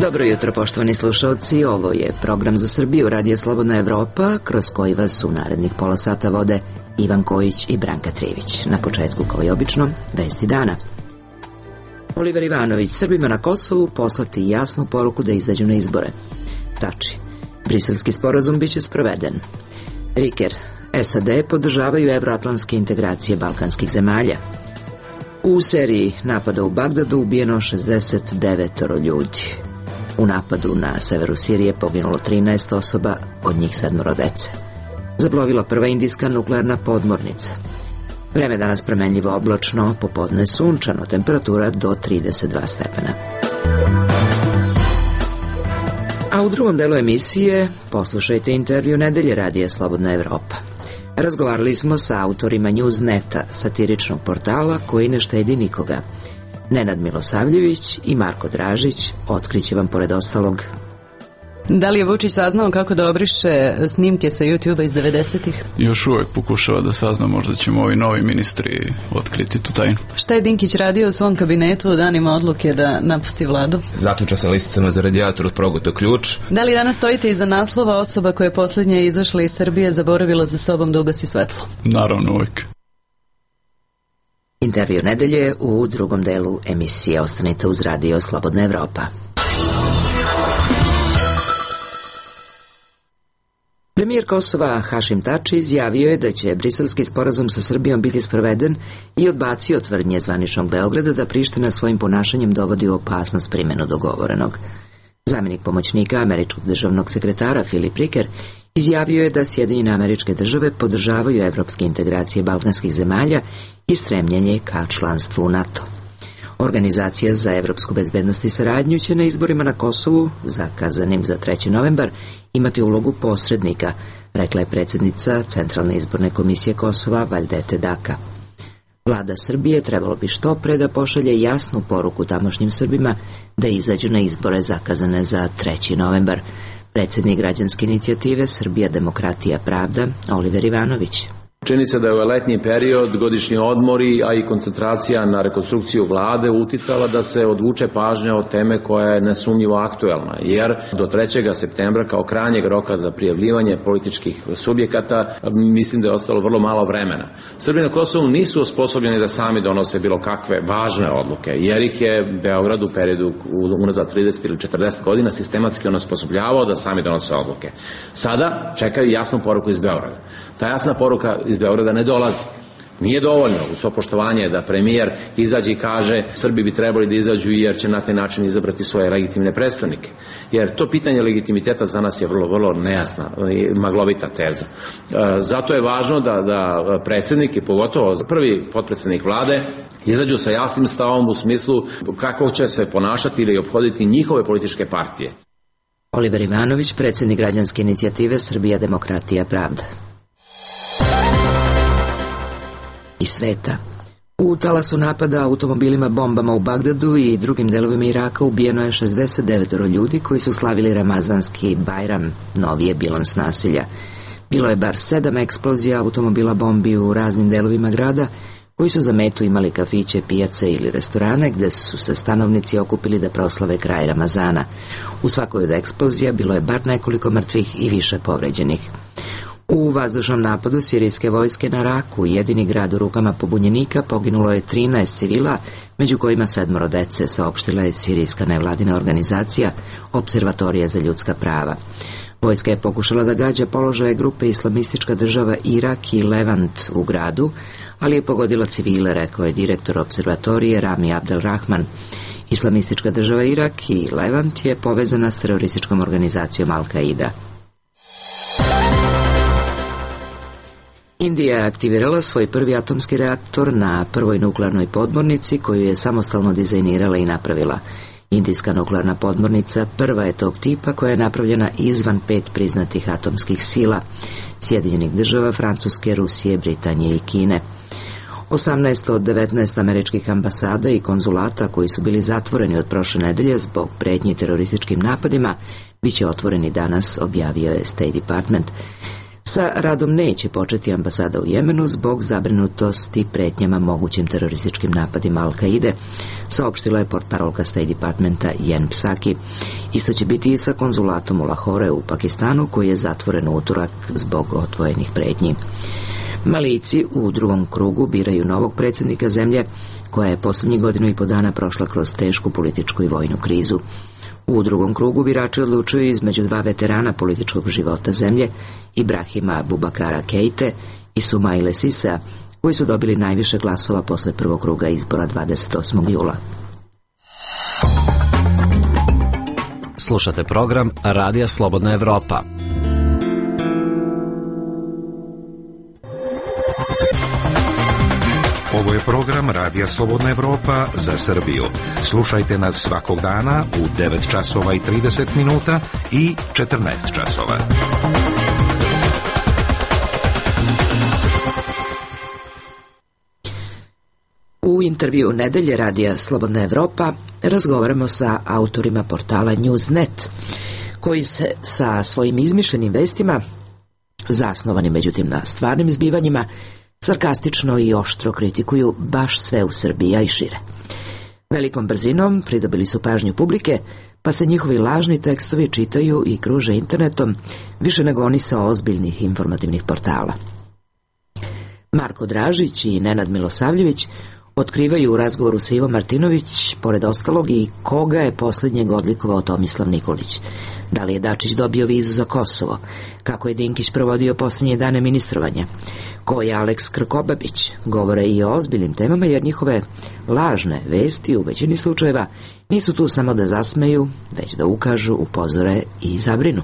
Dobro jutro, poštovani slušalci, ovo je program za Srbiju, Radio Slobodna Evropa, kroz koji vas u narednih pola sata vode Ivan Kojić i Branka Trivić. Na početku, kao i obično, vesti dana. Oliver Ivanović, Srbima na Kosovu poslati jasnu poruku da izađu na izbore. Tači, briselski sporazum biće sproveden. Riker, SAD podržavaju evroatlantske integracije balkanskih zemalja. U seriji napada u Bagdadu ubijeno 69 ljudi. U napadu na severu Sirije poginulo 13 osoba, od njih 7 dece. Zaplovila prva indijska nuklearna podmornica. Vreme danas promenljivo oblačno, popodne sunčano, temperatura do 32 stepena. A u drugom delu emisije poslušajte intervju Nedelje Radija Slobodna Evropa. Razgovarali smo sa autorima Newsneta, satiričnog portala koji ne štedi nikoga. Nenad Milosavljević i Marko Dražić otkriće vam pored ostalog. Da li je Vučić saznao kako da obriše snimke sa YouTube-a iz 90-ih? Još uvijek pokušava da sazna, možda ćemo ovi novi ministri otkriti tu tajnu. Šta je Dinkić radio u svom kabinetu u danima odluke da napusti vladu? Zaključao sa listicama za radijator, progutao ključ. Da li danas stojite iza naslova osoba koja je posljednja izašla iz Srbije zaboravila za sobom da ugasi svetlo? Naravno, uvijek. Intervju Nedelje u drugom delu emisije. Ostanite uz Radio Slobodna Evropa. Premijer Kosova Hašim Tači izjavio je da će briselski sporazum sa Srbijom biti sproveden i odbacio tvrdnje zvaničnog Beograda da Priština svojim ponašanjem dovodi u opasnost primjenu dogovorenog. Zamjenik pomoćnika američkog državnog sekretara Filip Riker izjavio je da Sjedinjene Američke Države podržavaju evropske integracije balkanskih zemalja i stremljenje ka članstvu u NATO. Organizacija za evropsku bezbednost i saradnju će na izborima na Kosovu, zakazanim za 3. novembar, imati ulogu posrednika, rekla je predsjednica Centralne izborne komisije Kosova Valdete Daka. Vlada Srbije trebalo bi što pre da pošalje jasnu poruku tamošnjim Srbima da izađu na izbore zakazane za 3. novembar. Predsjednik građanske inicijative Srbija, demokratija, pravda, Oliver Ivanović. Čini se da je ovaj letnji period, godišnji odmori, a i koncentracija na rekonstrukciju vlade uticala da se odvuče pažnja od teme koja je nesumnjivo aktuelna, jer do 3. septembra kao krajnjeg roka za prijavljivanje političkih subjekata mislim da je ostalo vrlo malo vremena. Srbi na Kosovu nisu osposobljeni da sami donose bilo kakve važne odluke, jer ih je Beograd u periodu unazad 30 ili 40 godina sistematski onesposobljavao da sami donose odluke. Sada čekaju jasnu poruku iz Beograda. Ta jasna poruka iz Beograda ne dolazi. Nije dovoljno u svo poštovanje da premijer izađe i kaže Srbi bi trebali da izađu jer će na taj način izabrati svoje legitimne predstavnike. Jer to pitanje legitimiteta za nas je vrlo nejasna i maglovita teza. Zato je važno da predsjednik i pogotovo prvi potpredsjednik vlade izađu sa jasnim stavom u smislu kako će se ponašati ili ophoditi njihove političke partije. Oliver Ivanović, predsjednik građanske inicijative Srbija, demokratija, pravda. I sveta. U talasu napada automobilima bombama u Bagdadu i drugim delovima Iraka ubijeno je 69 ljudi koji su slavili Ramazanski Bajram, novi je bilans nasilja. Bilo je bar 7 eksplozija automobila bombi u raznim delovima grada koji su za metu imali kafiće, pijace ili restorane gde su se stanovnici okupili da proslave kraj Ramazana. U svakoj od eksplozija bilo je bar nekoliko mrtvih i više povređenih. U vazdušnom napadu sirijske vojske na Raku, jedini grad u rukama pobunjenika, poginulo je 13 civila, među kojima 7 dece, saopštila je sirijska nevladina organizacija Observatorija za ljudska prava. Vojska je pokušala da gađa položaje grupe Islamistička država Irak i Levant u gradu, ali je pogodila civile, rekao je direktor observatorije Rami Abdelrahman. Islamistička država Irak i Levant je povezana s terorističkom organizacijom Al-Qaida. Indija je aktivirala svoj prvi atomski reaktor na prvoj nuklearnoj podmornici koju je samostalno dizajnirala i napravila. Indijska nuklearna podmornica prva je tog tipa koja je napravljena izvan 5 priznatih atomskih sila, Sjedinjenih država, Francuske, Rusije, Britanije i Kine. 18 od 19 američkih ambasada i konzulata koji su bili zatvoreni od prošle nedelje zbog pretnji terorističkim napadima biće otvoreni danas, objavio je State Department. Sa radom neće početi ambasada u Jemenu zbog zabrinutosti pretnjama mogućim terorističkim napadima Al-Kaide, saopštila je portparolka State Departmenta Jen Psaki. Isto će biti i sa konzulatom u Lahore u Pakistanu, koji je zatvoren u utorak zbog otvojenih pretnji. Malijci u drugom krugu biraju novog predsjednika zemlje, koja je posljednjih 1,5 dana prošla kroz tešku političku i vojnu krizu. U drugom krugu birači odlučuju između 2 veterana političkog života zemlje, Ibrahima Bubakara Keite i Sumaile Sisea, koji su dobili najviše glasova posle prvog kruga izbora 28. jula. Slušate program Radija Slobodna Evropa. Ovo je program Radija Slobodna Evropa za Srbiju. Slušajte nas svakog dana u 9 časova i 30 minuta i 14 časova. U intervju Nedelje Radija Slobodna Evropa razgovaramo sa autorima portala Newsnet, koji se sa svojim izmišljenim vestima, zasnovanim međutim na stvarnim zbivanjima, sarkastično i oštro kritikuju baš sve u Srbiji, a i šire. Velikom brzinom pridobili su pažnju publike, pa se njihovi lažni tekstovi čitaju i kruže internetom više nego oni sa ozbiljnih informativnih portala. Marko Dražić i Nenad Milosavljević otkrivaju u razgovoru sa Ivom Martinović, pored ostalog, i koga je posljednjeg odlikovao Tomislav Nikolić. Da li je Dačić dobio vizu za Kosovo? Kako je Dinkić provodio posljednje dane ministrovanja? Ko je Aleks Krkobabić? Govore i o ozbiljnim temama, jer njihove lažne vesti u većini slučajeva nisu tu samo da zasmeju, već da ukažu, upozore i zabrinu.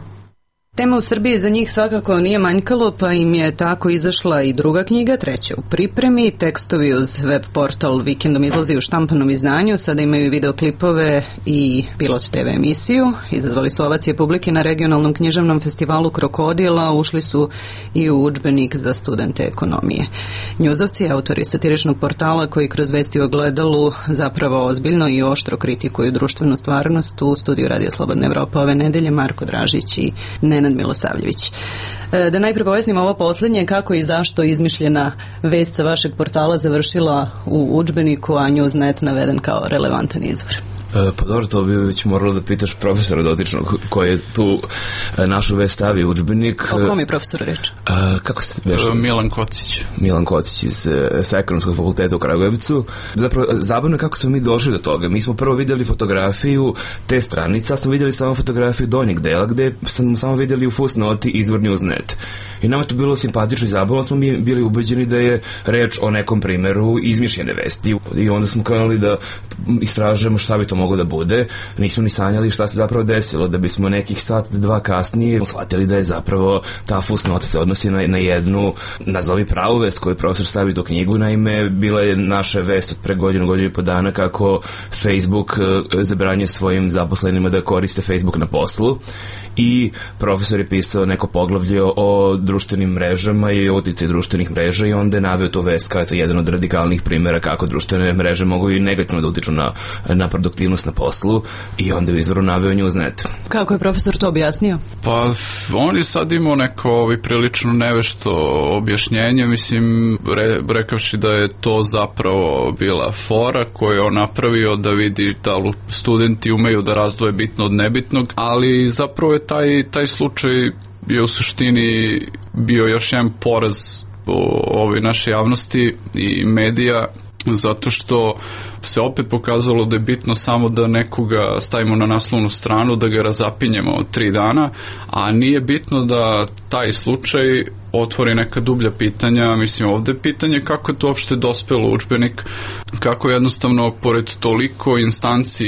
Tema u Srbiji za njih svakako nije manjkalo, pa im je tako izašla i druga knjiga, treća u pripremi. Tekstovi uz web portal vikendom izlazi u štampanom izdanju, sada imaju i videoklipove i pilot TV emisiju. Izazvali su ovacije publike na regionalnom književnom festivalu Krokodila, ušli su i u udžbenik za studente ekonomije. Njuzovci, autori satiričnog portala koji kroz vesti u Ogledalu zapravo ozbiljno i oštro kritikuju društvenu stvarnost, u studiju Radija Slobodna Evropa ove nedelje Marko Dražić i Nenad Milosavljević. Da najpre pojasnimo ovo posljednje, kako i zašto izmišljena vest sa vašeg portala završila u udžbeniku, a Newsnet naveden kao relevantan izvor. Pa dobro, to bi već moralo da pitaš profesora dotičnog koji je tu našu vest stavio u udžbenik. O kom je profesoru reč? Kako se Milan Kocić. Milan Kocić sa Ekonomskog fakulteta u Kragujevcu. Zapravo, zabavno je kako smo mi došli do toga. Mi smo prvo vidjeli fotografiju te stranice, a smo vidjeli samo fotografiju donjeg dela, gde smo samo vidjeli u fusnoti izvor Newsnet. I nama je to bilo simpatično i zabavno, smo mi bili ubeđeni da je reč o nekom primjeru izmišljene vesti. I onda smo krenuli da istražujemo šta bi to moglo da bude. Nismo ni sanjali šta se zapravo desilo, da bismo nekih sat, 2 kasnije shvatili da je zapravo ta fusnota se odnosi na jednu, nazovi pravu vest koju profesor stavi do knjigu. Naime, bila je naša vest od pre godinu i po dana kako Facebook zabranjuje svojim zaposlenima da koriste Facebook na poslu. I profesor je pisao neko poglavlje o društvenim mrežama i o uticaju društvenih mreža i onda je naveo to vest kao jedan od radikalnih primjera kako društvene mreže mogu i negativno da utiču na produktivnost na poslu, i onda je izvoru naveo Newsnet. Kako je profesor to objasnio? Pa on je sad imao neko prilično nevešto objašnjenje, mislim, rekavši da je to zapravo bila fora koju je on napravio da vidi da studenti umeju da razdvoje bitno od nebitnog, ali zapravo je taj slučaj je u suštini bio još jedan poraz ove naše javnosti i medija, zato što se opet pokazalo da je bitno samo da nekoga stavimo na naslovnu stranu, da ga razapinjemo 3 dana, a nije bitno da taj slučaj otvori neka dublja pitanja. Mislim, ovde je pitanje kako je to uopšte dospelo u udžbenik, kako jednostavno pored toliko instanci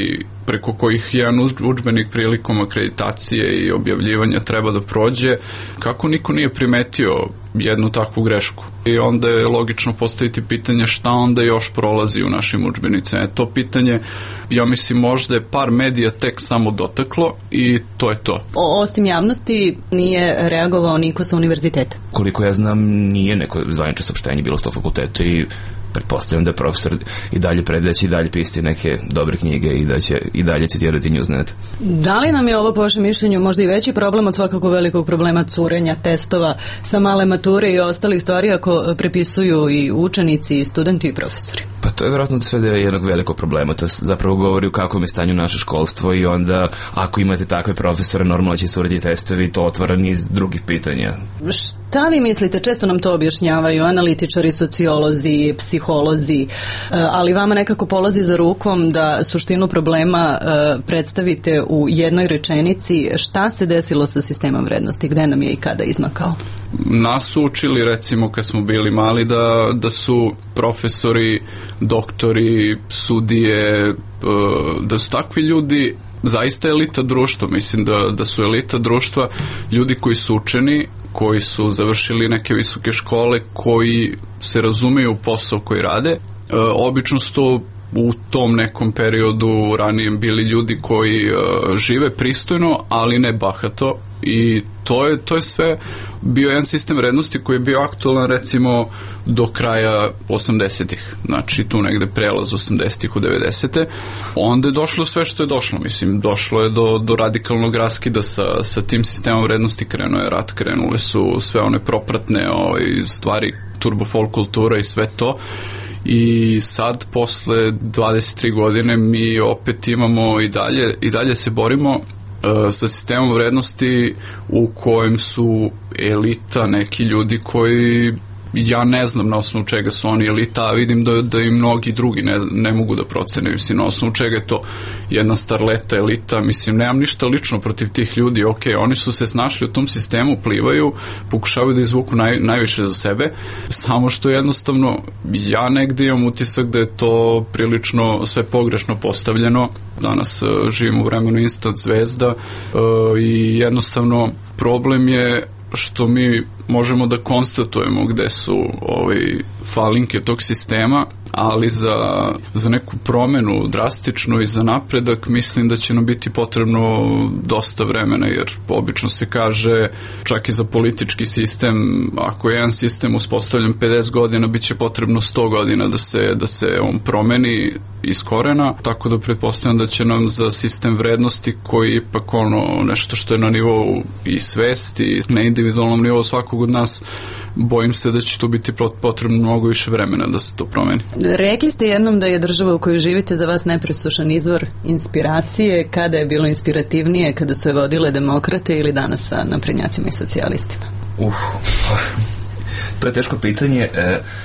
preko kojih jedan udžbenik prilikom akreditacije i objavljivanja treba da prođe, kako niko nije primetio jednu takvu grešku. I onda je logično postaviti pitanje šta onda još prolazi u našim udžbenicima. To pitanje, ja mislim, možda je par medija tek samo dotaklo i to je to. Osim javnosti nije reagovao niko sa univerziteta? Koliko ja znam, nije neko zvanično saopštenje bilo s tog fakulteta i pretpostavljam da profesor i dalje predaće i dalje pisati neke dobre knjige i da će i dalje citirati Newsnet. Da li nam je ovo po vašem mišljenju možda i veći problem od svakako velikog problema curenja testova sa male mature i ostalih stvari ako prepisuju i učenici, i studenti i profesori? Pa to je vjerojatno sve da je jednog velikog problema. To zapravo govori u kakvom je stanju naše školstvo i onda ako imate takve profesore normalno će se uraditi testovi i to otvara niz drugih pitanja. Šta vi mislite? Često nam to objašnjavaju analitičari, sociolozi, psiholozi, ali vama nekako polazi za rukom da suštinu problema predstavite u jednoj rečenici. Šta se desilo sa sistemom vrednosti? Gde nam je i kada izmakao? Nas su učili, recimo, kad smo bili mali, da su profesori, doktori, sudije, da su takvi ljudi zaista elita društva. Mislim da su elita društva ljudi koji su učeni, koji su završili neke visoke škole, koji se razumeju u posao koji rade. Obično su to u tom nekom periodu ranijem bili ljudi koji žive pristojno, ali ne bahato, i to je sve bio jedan sistem vrednosti koji je bio aktualan recimo do kraja 80-ih, znači tu negde prelaz 80-ih u 90-te. Onda je došlo sve što je došlo, mislim, došlo je do radikalnog raskida sa tim sistemom vrednosti, krenuo je rat, krenule su sve one propratne stvari, turbo folk kultura i sve to. I sad posle 23 godine mi opet imamo i dalje se borimo sa sistemom vrednosti u kojem su elita neki ljudi koji ja ne znam na osnovu čega su oni elita, a vidim da i mnogi drugi ne mogu da procene, mislim, na osnovu čega je to jedna starleta elita, mislim, nemam ništa lično protiv tih ljudi, ok, oni su se snašli u tom sistemu, plivaju, pokušavaju da izvuku najviše za sebe, samo što jednostavno ja negde imam utisak da je to prilično sve pogrešno postavljeno. Danas živimo u vremenu instant zvezda i jednostavno problem je što mi možemo da konstatujemo gde su falinke tog sistema, ali za neku promenu drastičnu i za napredak mislim da će nam biti potrebno dosta vremena, jer obično se kaže čak i za politički sistem, ako je jedan sistem uspostavljen 50 godina, bit će potrebno 100 godina da se on promeni iz korena, tako da pretpostavljam da će nam za sistem vrednosti koji je ipak nešto što je na nivou i svesti, na individualnom nivou svakog od nas, bojim se da će tu biti potrebno mnogo više vremena da se to promeni. Rekli ste jednom da je država u kojoj živite za vas nepresušan izvor inspiracije. Kada je bilo inspirativnije, kada su je vodile demokrate ili danas sa naprednjacima i socijalistima? To je teško pitanje.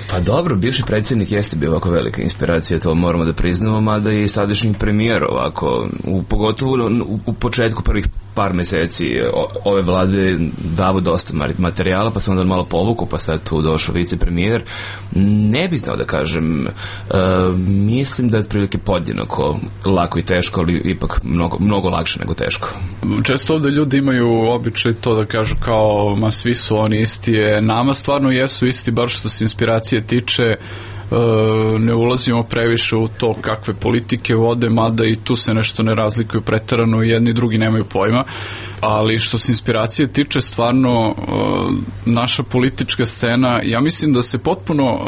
Pa dobro, bivši predsjednik jeste bio ovako velika inspiracija, to moramo da priznamo, mada i sadašnji premijer ovako, pogotovo u početku prvih par meseci ove vlade davo dosta materijala, pa sam onda malo povuku, pa sad tu došao vicepremijer. Ne bi znao da kažem, mislim da je otprilike podjednako lako i teško, ali ipak mnogo lakše nego teško. Često ovde ljudi imaju običaj to da kažu kao, ma svi su oni isti, nama stvarno jesu isti, bar što se inspiracije tiče. Ne ulazimo previše u to kakve politike vode, mada i tu se nešto ne razlikuju preterano, jedni i drugi nemaju pojma, ali što se inspiracije tiče, stvarno naša politička scena, ja mislim da se potpuno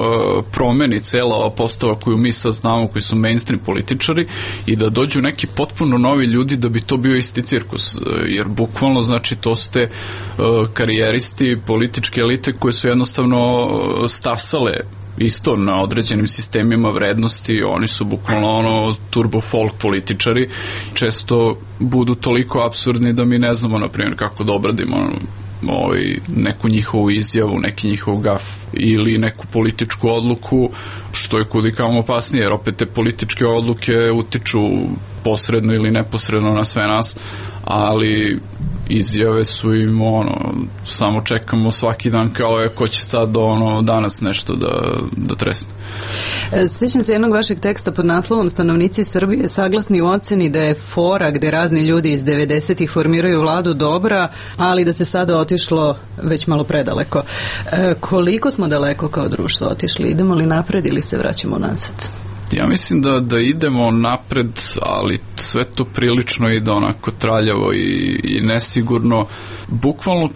promeni cela ova postava koju mi sad znamo, koji su mainstream političari, i da dođu neki potpuno novi ljudi da bi to bio isti cirkus, jer bukvalno, znači, to su te karijeristi, političke elite koje su jednostavno stasale isto na određenim sistemima vrednosti, oni su bukvalno turbo folk političari, često budu toliko apsurdni da mi ne znamo, na primjer, kako da obradimo neku njihovu izjavu, neki njihov gaf ili neku političku odluku, što je kudikamo opasnije, jer opet te političke odluke utiču posredno ili neposredno na sve nas, ali izjave su im samo čekamo svaki dan kao ko će sad danas nešto da tresne. Sjećam se jednog vašeg teksta pod naslovom Stanovnici Srbije saglasni u oceni da je fora gde razni ljudi iz 90-ih formiraju vladu dobra, ali da se sada otišlo već malo predaleko. Koliko smo daleko kao društvo otišli? Idemo li napred ili se vraćamo nazad? Ja mislim da idemo napred, ali sve to prilično ide onako traljavo i nesigurno, bukvalno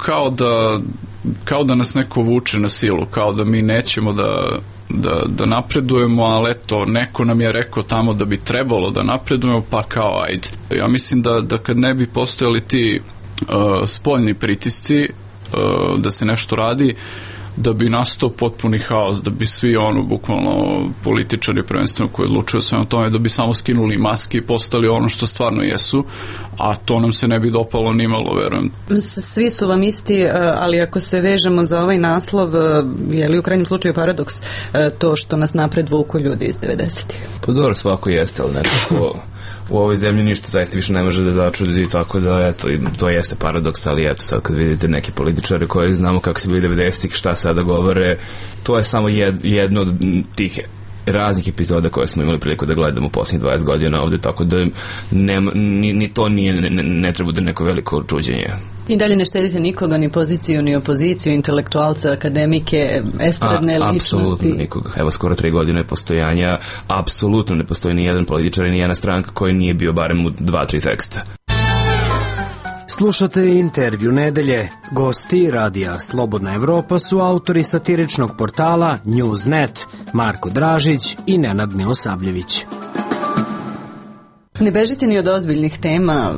kao da nas neko vuče na silu, kao da mi nećemo da napredujemo, ali eto, neko nam je rekao tamo da bi trebalo da napredujemo, pa kao ajde. Ja mislim da kad ne bi postojali ti spoljni pritisci da se nešto radi, da bi nastao potpuni haos, da bi svi bukvalno političari prvenstveno koji odlučuju sve o tome, da bi samo skinuli maske i postali ono što stvarno jesu, a to nam se ne bi dopalo nimalo, verujem. Svi su vam isti, ali ako se vežemo za ovaj naslov, je li u krajnjem slučaju paradoks to što nas napred vuku ljudi iz 90-ih? Pa dobro, svako jeste, ali nekako u ovoj zemlji ništa zaista više ne može da začudi, tako da eto, to jeste paradoks, ali eto sad kad vidite neki političari koji znamo kako su bili 90-ih, šta sada govore, to je samo jedno od tih raznih epizoda koje smo imali priliku da gledamo u posljednjih 20 godina ovde, tako da ni to ne treba da neko veliko čuđenje. I dalje ne štedite nikoga, ni poziciju, ni opoziciju, intelektualce, akademike, estradne ličnosti? Apsolutno nikoga. Evo, skoro 3 godine postojanja, apsolutno ne postoji ni jedan političar i ni jedna stranka koji nije bio barem u 2-3 teksta. Slušate intervju nedelje. Gosti Radija Slobodna Evropa su autori satiričnog portala Newsnet, Marko Dražić i Nenad Milosavljević. Ne bežite ni od ozbiljnih tema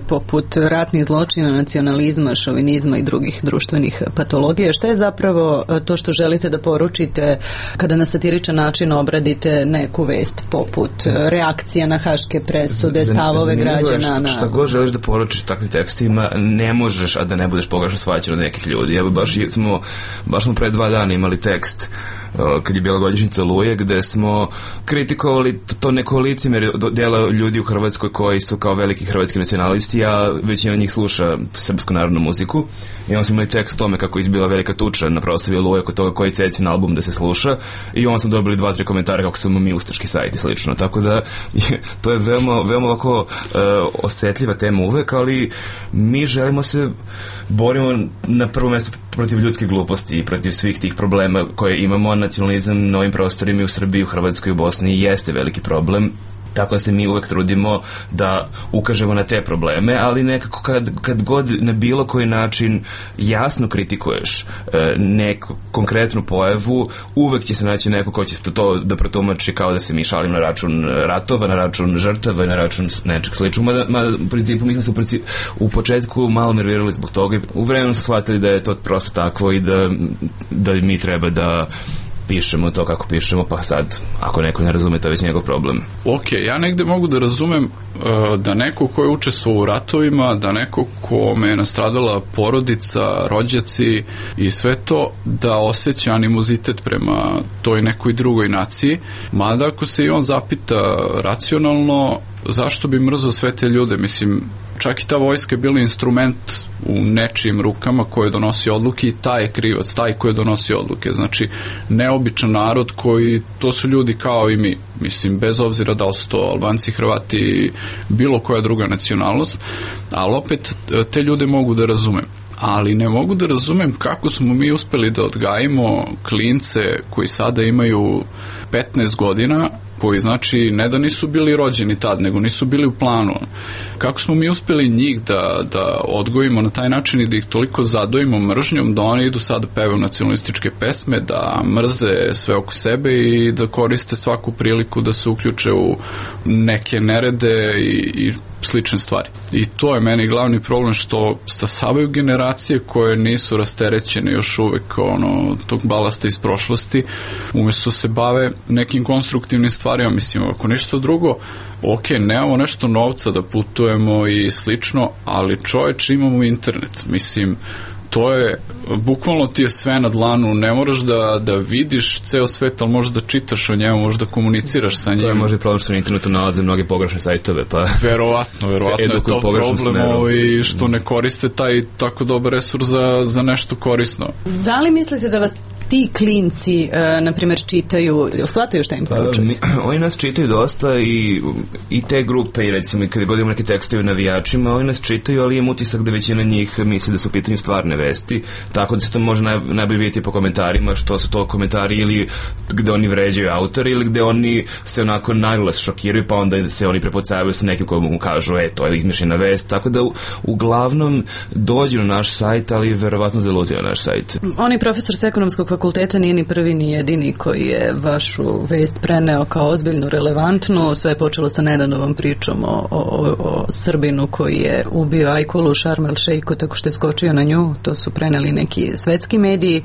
poput ratnih zločina, nacionalizma, šovinizma i drugih društvenih patologija. Šta je zapravo to što želite da poručite kada na satiričan način obradite neku vest poput reakcija na haške presude, stavove građana? Šta god želiš da poručiš takvim tekstima, ne možeš, a da ne budeš pogrešno shvaćen od nekih ljudi. Evo, baš smo pre 2 dana imali tekst kad je bila godišnjica Oluje, gde smo kritikovali to neko licemjerje dela ljudi u Hrvatskoj koji su kao veliki hrvatski nacionalisti, a većina njih sluša srpsku narodnu muziku. I onda smo imali tekst o tome kako je izbila velika tuča na proslavi Oluje kod toga koji Cecin album da se sluša, i onda smo dobili 2-3 komentare kako smo mi ustaški sajt i slično. Tako da to je veoma ovako osetljiva tema uvek, ali mi želimo se borimo na prvo mesto protiv ljudske gluposti i protiv svih tih problema koje imamo. Nacionalizam na ovim prostorima u Srbiji, u Hrvatskoj i u Bosni jeste veliki problem. Tako da se mi uvek trudimo da ukažemo na te probleme, ali nekako kad god na bilo koji način jasno kritikuješ neku konkretnu pojavu, uvek će se naći neko ko će to da protumači kao da se mi šalimo na račun ratova, na račun žrtava i na račun nečeg sličnog. Mada u principu mi smo se u početku malo nervirali zbog toga i u vremenu su shvatili da je to prosto takvo i da mi treba da pišemo to kako pišemo, pa sad ako neko ne razume, to je već njegov problem. Ok, ja negde mogu da razumem da neko ko je učestvovao u ratovima, da neko kome je nastradala porodica, rođaci i sve to, da osjeća animozitet prema toj nekoj drugoj naciji, mada ako se i on zapita racionalno, zašto bi mrzao sve te ljude? Mislim, čak i ta vojska je bila instrument u nečijim rukama koje donosi odluke i taj je krivac, taj koji donosi odluke. Znači, neobičan narod koji, to su ljudi kao i mi. Mislim, bez obzira da li su to Albanci, Hrvati, bilo koja druga nacionalnost, ali opet te ljude mogu da razumem. Ali ne mogu da razumem kako smo mi uspeli da odgajimo klince koji sada imaju 15 godina, koji znači ne da nisu bili rođeni tad, nego nisu bili u planu. Kako smo mi uspeli njih da odgojimo na taj način i da ih toliko zadojimo mržnjom da oni idu sad da pevaju nacionalističke pesme, da mrze sve oko sebe i da koriste svaku priliku da se uključe u neke nerede i slične stvari. I to je meni glavni problem, što stasavaju generacije koje nisu rasterećene još uvek tog balasta iz prošlosti, umjesto se bave nekim konstruktivnim stvarima. Mislim, ako ništa drugo, ok, nemamo nešto novca da putujemo i slično, ali čoveče, imamo internet. Mislim, to je, bukvalno ti je sve na dlanu, ne moraš da vidiš ceo svet, ali možeš da čitaš o njemu, možeš da komuniciraš sa njim. To je možda i problem što na internetu nalaze mnoge pogrešne sajtove, pa verovatno je to problem i što ne koriste taj tako dobar resurs za nešto korisno. Da li mislite da vas ti klinci, na primjer, čitaju, shvataju šta im poručujete? Oni nas čitaju dosta i te grupe, i recimo kada god imamo neke tekstove o navijačima, oni nas čitaju, ali imam utisak da većina njih misli da su u pitanju stvarne vesti, tako da se to može najbolje vidjeti po komentarima, što su to komentari ili gde oni vređaju autori ili gde oni se onako naglas šokiraju, pa onda se oni prepucavaju sa nekim koji mu kažu to je izmišljena vest, tako da uglavnom dođu na naš sajt, ali verovatno zalutaju na naš sajt. On je profesor s ekonomskog fakulteta nije ni prvi ni jedini koji je vašu vest preneo kao ozbiljnu, relevantnu. Sve je počelo sa nedavnom pričom o Srbinu koji je ubio Ajkulu u Šarm el Šeiku tako što je skočio na nju. To su preneli neki svetski mediji.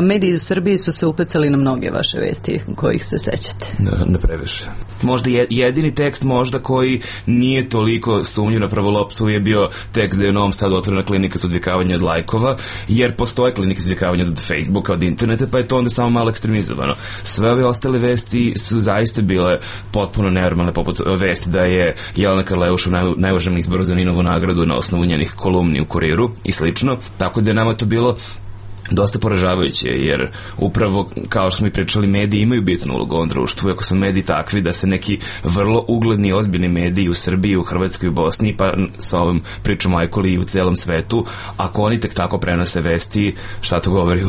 Mediji u Srbiji su se upecali na mnoge vaše vesti kojih se sećate. Ne previše. Možda jedini tekst možda koji nije toliko sumnjiv na prvu loptu je bio tekst da je u Novom Sadu otvorena klinika za odvikavanje od lajkova, jer postoje klinike za odvikavanje od Facebooka, od interneta, pa je to onda samo malo ekstremizovano. Sve ove ostale vesti su zaista bile potpuno nenormalne, poput vesti da je Jelena Karleuš u najužem izboru za Ninovu nagradu na osnovu njenih kolumni u Kuriru i slično, tako da je nama to bilo dosta poražavajuće, jer upravo, kao što smo i pričali, mediji imaju bitnu ulogu u ovom društvu. Ako su mediji takvi da se neki vrlo ugledni, ozbiljni mediji u Srbiji, u Hrvatskoj i Bosni, pa sa ovom pričom o Ajkuli i u celom svetu, ako oni tek tako prenose vesti, šta to govori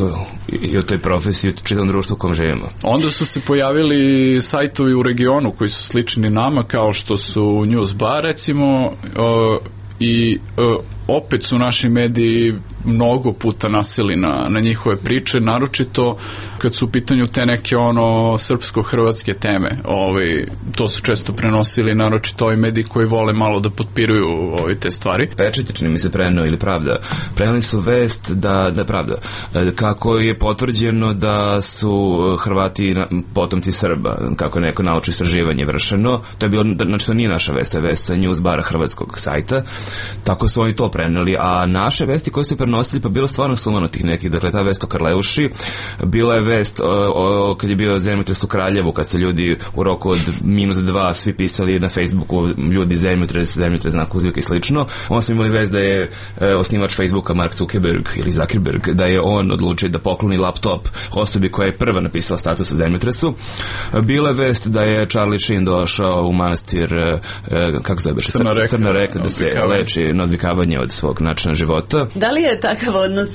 i o toj profesiji, o čitavom društvu u kom živimo? Onda su se pojavili sajtovi u regionu koji su slični nama, kao što su Newsbar, recimo, i opet su naši mediji mnogo puta nasili na njihove priče, naročito kad su u pitanju te neke srpsko-hrvatske teme. To su često prenosili, naročito ovi mediji koji vole malo da potpiruju te stvari. Pečat je, čini mi se, preneo ili Pravda. Preneli su vest da Pravda, kako je potvrđeno da su Hrvati potomci Srba, kako je neko naučno istraživanje vršeno. To je bilo, znači to nije naša vest, to je vest sa Newsbara hrvatskog sajta. Tako su oni to preneli, a naše vesti koje su prenosili pa bilo stvarno sumanutih nekih. Dakle, ta vest o Karleuši, bila je vest kad je bio zemljotres u Kraljevu, kad se ljudi u roku od minuta, dva svi pisali na Facebooku, ljudi zemljotres, znak uzvika i slično. Onda smo imali vest da je osnivač Facebooka Mark Zuckerberg ili Zuckerberg, da je on odlučio da pokloni laptop osobi koja je prva napisala status o zemljotresu. Bila je vest da je Charlie Sheen došao u manastir kako zove, Crna reka, da se leči na odvikavanje od svog načina života. Da li je takav odnos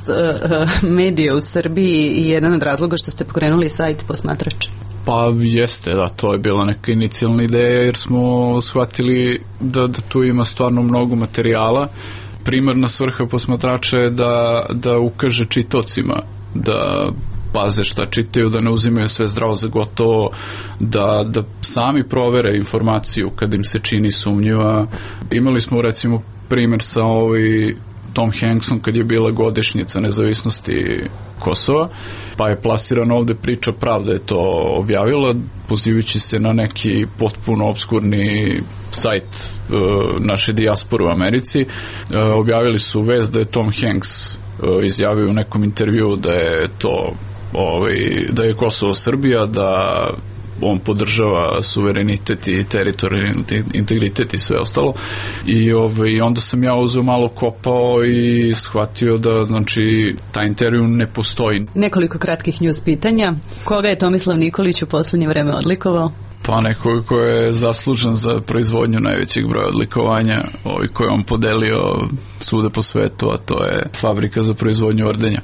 medija u Srbiji i jedan od razloga što ste pokrenuli sajt Posmatrač? Pa jeste, da, to je bila neka inicijalna ideja, jer smo shvatili da tu ima stvarno mnogo materijala. Primarna svrha Posmatrača je da ukaže čitaocima da paze šta čitaju, da ne uzimaju sve zdravo za gotovo, da sami provere informaciju kad im se čini sumnjiva. Imali smo recimo primjer sa Tom Hanksom kad je bila godišnjica nezavisnosti Kosova, pa je plasirana ovde priča, Pravda je to objavila, pozivajući se na neki potpuno obskurni sajt naše dijaspore u Americi. Objavili su vest da je Tom Hanks izjavio u nekom intervju da je to da je Kosovo Srbija, da on podržava suverenitet i teritorijalni integritet i sve ostalo. I onda sam ja uzeo malo kopao i shvatio da, znači, taj intervju ne postoji. Nekoliko kratkih news pitanja. Koga je Tomislav Nikolić u poslednje vreme odlikovao? Pa nekoga ko je zaslužan za proizvodnju najvećeg broja odlikovanja, koji je on podelio svuda po svetu, a to je Fabrika za proizvodnju ordenja.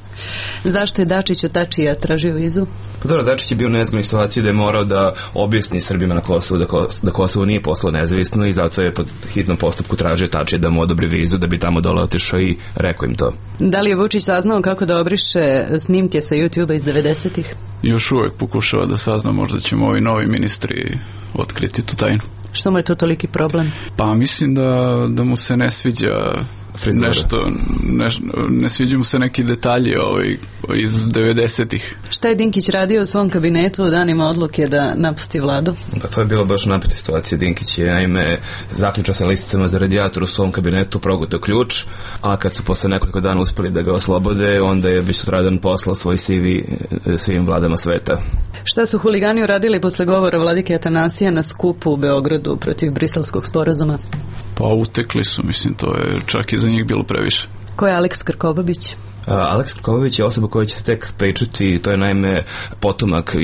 Zašto je Dačić od Tačija tražio vizu? Pa dobro, Dačić je bio u nezgodnoj situaciji da je morao da objasni Srbima na Kosovu da Kosovo nije poslao nezavisno i zato je pod hitnom postupku tražio Tačija da mu odobri vizu da bi tamo dole otišao i rekao im to. Da li je Vučić saznao kako da obriše snimke sa YouTube-a iz 90-ih? Još uvek pokušava da sazna, možda ćemo ovi novi ministri otkriti tu tajnu. Što mu je to toliki problem? Pa mislim da mu se ne sviđa nešto, ne sviđa mu se neki detalji iz 90-ih. Šta je Dinkić radio u svom kabinetu u danima odluke da napusti vladu? Pa to je bilo baš napeta situacija. Dinkić je naime zaključao sa listicama za radijator u svom kabinetu, progutao ključ, a kad su posle nekoliko dana uspeli da ga oslobode, onda je već sutradan poslao svoj CV svim vladama sveta. Šta su huligani uradili posle govora vladike Atanasija na skupu u Beogradu protiv Briselskog sporazuma? Pa utekli su, mislim, to je čak i za njih bilo previše. Ko je Aleks Krkobabić? Aleks Krkobabić je osoba koja će se tek pričati, to je naime potomak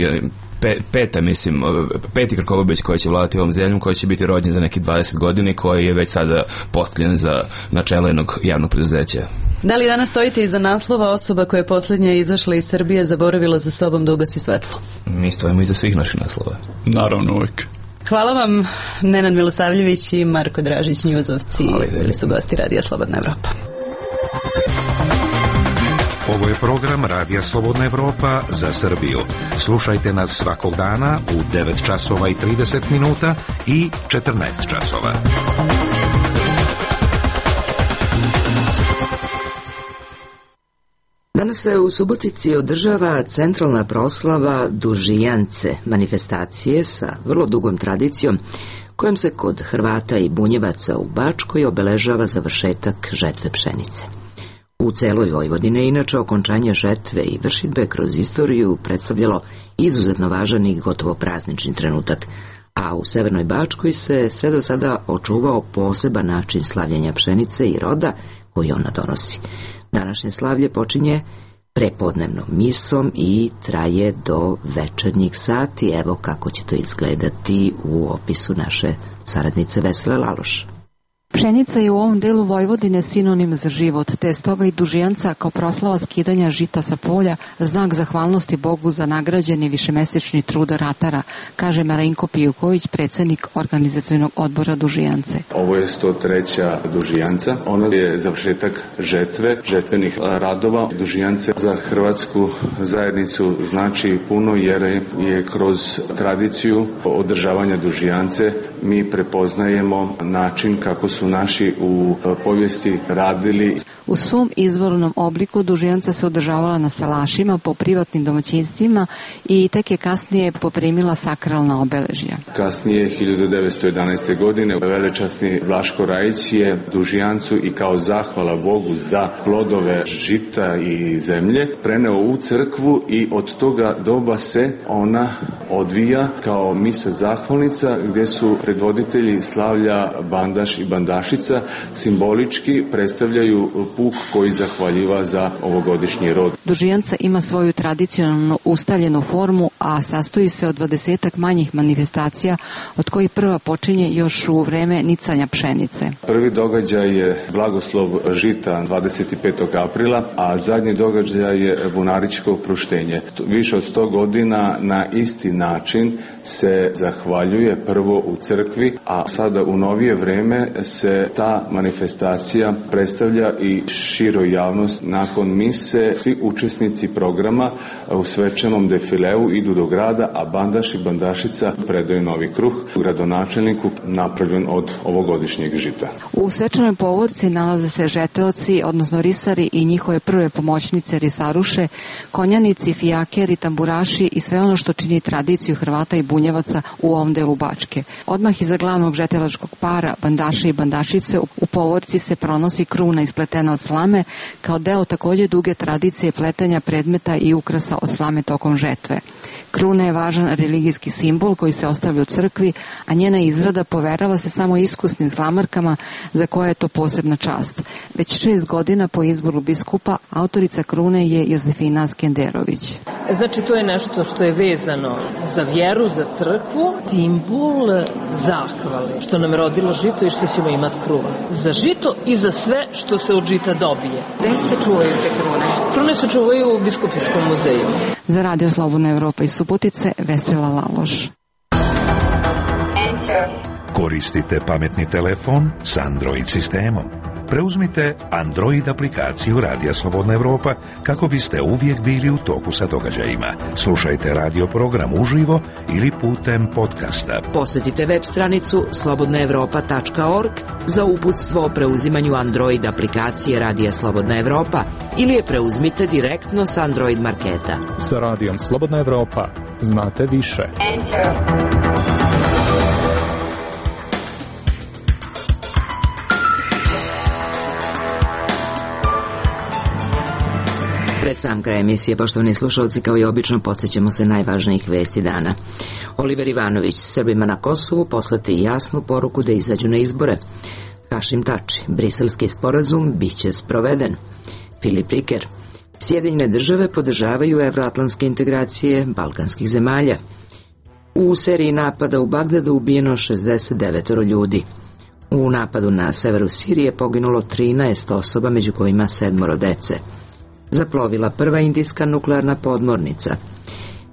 peti Krkobabić koji će vladati ovom zemljom, koji će biti rođen za neki 20 godina i koji je već sada postavljen za načelo jednog javnog preduzeća. Da li danas stojite iza naslova osoba koja je posljednja izašla iz Srbije zaboravila za sobom da ugasi svetlo? Mi stojimo iza svih naših naslova. Naravno, uvijek. Hvala vam, Nenad Milosavljević i Marko Dražić, njuzovci, bili su gosti Radija Slobodna Evropa. Ovo je program Radija Slobodna Evropa za Srbiju. Slušajte nas svakog dana u 9 časova i 30 minuta i 14 časova. Danas se u Subotici održava centralna proslava Dužijance, manifestacije sa vrlo dugom tradicijom, kojom se kod Hrvata i Bunjevaca u Bačkoj obeležava završetak žetve pšenice. U celoj Vojvodini inače okončanje žetve i vršidbe kroz istoriju predstavljalo izuzetno važan i gotovo praznični trenutak, a u Severnoj Bačkoj se sve do sada očuvao poseban način slavljenja pšenice i roda koji ona donosi. Današnje slavlje počinje prepodnevnom misom i traje do večernjih sati. Evo kako će to izgledati u opisu naše saradnice Vesele Laloš. Pšenica je u ovom delu Vojvodine sinonim za život, te stoga i Dužijanca kao proslava skidanja žita sa polja znak zahvalnosti Bogu za nagrađeni višemesečni trud ratara, kaže Marinko Pijuković, predsjednik organizacionog odbora Dužijance. Ovo je 103. Dužijanca. Ona je završetak žetve, žetvenih radova. Dužijance za hrvatsku zajednicu znači puno jer je kroz tradiciju održavanja Dužijance mi prepoznajemo način kako su naši u povijesti radili. U svom izvornom obliku Dužijanca se održavala na salašima po privatnim domaćinstvima i tek je kasnije poprimila sakralna obeležja. Kasnije, 1911. godine, velečasni Vlaško Rajić je Dužijancu i kao zahvala Bogu za plodove žita i zemlje preneo u crkvu i od toga doba se ona odvija kao misa zahvalnica gdje su predvoditelji slavlja Bandaš i Bandašica simbolički predstavljaju puk koji zahvaljiva za ovogodišnji rod. Dužijanca ima svoju tradicionalno ustaljenu formu, a sastoji se od 20 manjih manifestacija, od kojih prva počinje još u vreme nicanja pšenice. Prvi događaj je blagoslov žita 25. aprila, a zadnji događaj je bunaričko oproštenje. Više od 100 godina na isti način se zahvaljuje prvo u crkvi, a sada u novije vreme se ta manifestacija predstavlja i široj javnost. Nakon mise svi učesnici programa u svečanom defileu idu do grada, a Bandaš i Bandašica predaju novi kruh gradonačelniku napravljen od ovogodišnjeg žita. U svečanoj povorci nalaze se žeteoci, odnosno risari i njihove prve pomoćnice risaruše, konjanici, fijakeri, tamburaši i sve ono što čini tradiciju Hrvata i Bunjevaca u ovom delu Bačke. Odmah iza glavnog žetelačkog para Bandaša i Bandašice u povorci se pronosi kruna ispletena od slame kao deo također duge tradicije pletenja predmeta i ukrasa od slame tokom žetve. Kruna je važan religijski simbol koji se ostavlja u crkvi, a njena izrada poverava se samo iskusnim slamarkama za koje je to posebna čast. Već 6 godina po izboru biskupa autorica krune je Josefina Skenderović. Znači to je nešto što je vezano za vjeru, za crkvu, simbol zahvale, što nam je rodilo žito i što ćemo imati kruva. Za žito i za sve što se od žita dobije. Gde se čuvaju te krune? Krune se čuvaju u Biskupijskom muzeju. Za Radio Slobodna Evropa iz Subotice, Vesela Laloš. Koristite pametni telefon s Android sistemom. Preuzmite Android aplikaciju Radija Slobodna Evropa kako biste uvijek bili u toku sa događajima. Slušajte radio program uživo ili putem podcasta. Posjetite web stranicu slobodnaevropa.org za uputstvo o preuzimanju Android aplikacije Radija Slobodna Evropa ili je preuzmite direktno sa Android marketa. Sa Radijom Slobodna Evropa znate više. Pred sam kraj emisije, poštovani slušalci, kao i obično, podsjećamo se najvažnijih vesti dana. Oliver Ivanović, Srbima na Kosovu poslati jasnu poruku da izađu na izbore. Hašim Tači, briselski sporazum biće sproveden. Filip Riker, Sjedinjene države podržavaju evroatlantske integracije balkanskih zemalja. U seriji napada u Bagdadu ubijeno 69 ljudi. U napadu na severu Sirije poginulo 13 osoba, među kojima 7 dece. Zaplovila prva indijska nuklearna podmornica.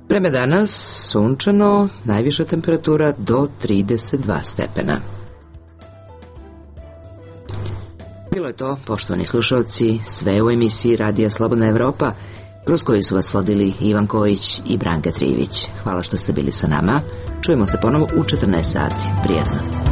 Vreme danas sunčano, najviša temperatura do 32 stepena. Bilo je to, poštovani slušalci, sve u emisiji Radija Slobodna Evropa, kroz koju su vas vodili Ivan Kojić i Branka Trivić. Hvala što ste bili sa nama. Čujemo se ponovo u 14 sati. Prijatno.